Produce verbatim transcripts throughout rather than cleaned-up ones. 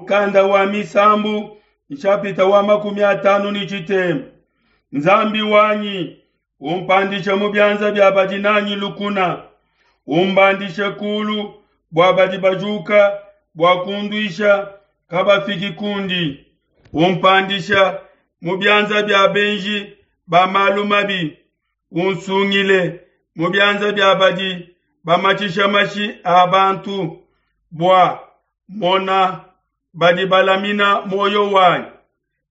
Mukanda wa Misambu nshapita wa makumi atanu ne tshitema. Nzambi wanyi, umpandishe mu bianza bia badi nanyi lukuna, umbandishe kulu bua badi bajuka bua kunduisha kabafiki kundi. Umpandisha mu bianza bia benji ba malu mabi, unsungile mu bianza bia badi bamatshisha mashi a bantu, bua mona badi balamina muoyo wanyi.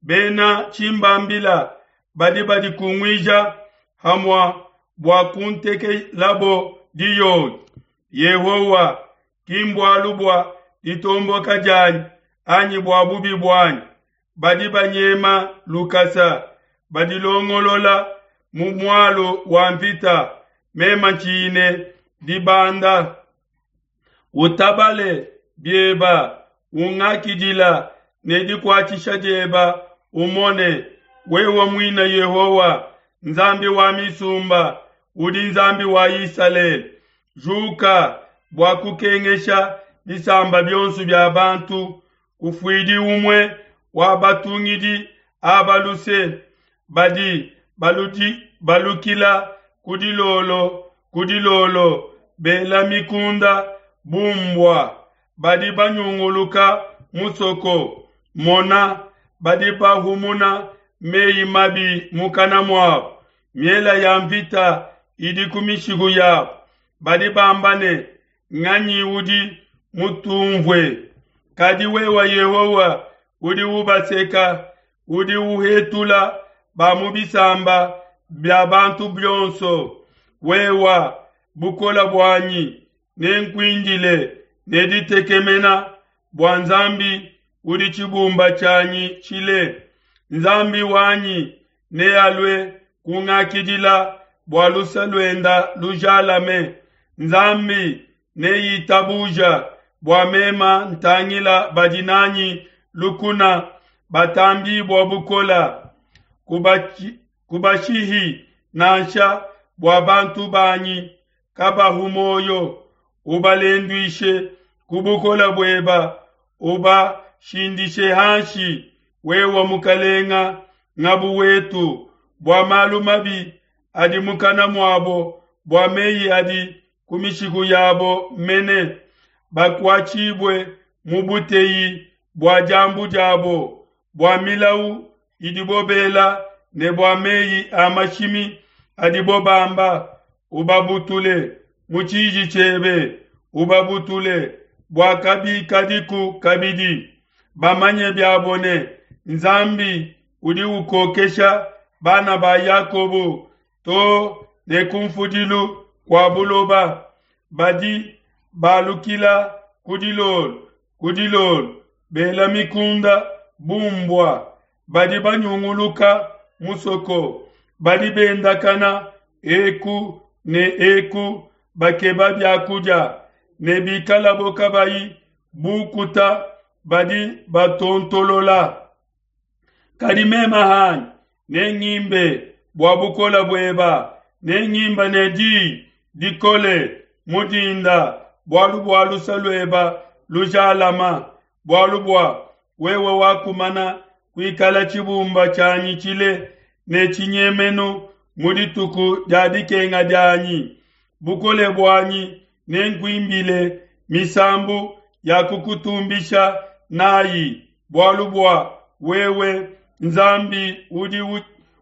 Bena tshimbambila badi badikunguija hamua bua kuntekelabo diyoyi. Yehowa, ki mbualu bua ditomboka dianyi anyi bua bubi buanyi. Badi banyema lukasa, badilongolola mu mualu wa mvita, mema ntshine dibanda. Utabale bieba, ungakidila ne dikuatshisha dieba, umone wewe muine Yehowa, Nzambi wa misumba, udi Nzambi wa Isalele. Juka bua kukengesha bisamba bionso bia bantu, kufuidi umue wa batungidi aba luse, badi baludi, balukila ku dilolo ku dilolo, bela mikunda bu mbua, badi banyunguluka musoko. Mona, badi bahumuna meyi mabi mukana muabo, miela ya mvita idi ku mishiku yabo. Badi bamba ne, nganyi udi mutumvue? Kadi wewe Yehowa udi ubaseka, udi uhetula ba mu bisamba bia bantu bionso. Wewa bukola buanyi, nenkuindile ne ditekemena bua Nzambi udi tshibumba tshianyi tshile. Nzambi wanyi nealue kungakidila bua luse luenda lujalame. Nzambi neitabuja bua mema ntangila badi nanyi lukuna batambibua bukola. Kubachi, kubashihi nansha bua bantu banyi kabahu moyo. Ubalenduishe ku bukola bueba, ubashindishe hanshi. Wewe mukalenga ngabu wetu, bua malu mabi adi mukana muabo, bua meyi adi ku mishiku yabo mene, bakuatshibue mu buteyi bua diambu diabo, bua milau idibo bela ne bua meyi a mashimi adibo bamba. Ubabutule mu tshiji tshiebe, ubabutule bua kabikadiku kabidi. Bamanye biabo ne Nzambi udi ukokesha bana ba Yakobo to ne kumfudilu kua buloba. Badi balukila ku dilolo ku dilolo, bela mikunda bu mbua. Badi banyunguluka musoko, badi bendakana eku ne eku bakeba biakudia, ne bikalabo kabayi bukuta badi batontolola. Kadi mema hanyi nengimbe bua bukola bueba, nengimba ne diyi dikole mu dinda, bualu bua luse lueba lujalama, bualu bua wewe wakumana kuikala tshibumba tshianyi tshile ne tshinyemenu mu dituku dia dikenga dianyi. Bukole buanyi nenkuimbile misambu ya kukutumbisha nayi, bualu bua wewe Nzambi udi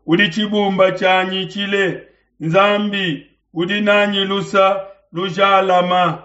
udi tshibumba tshianyi tshile, Nzambi udi nanyi lusa lujalama.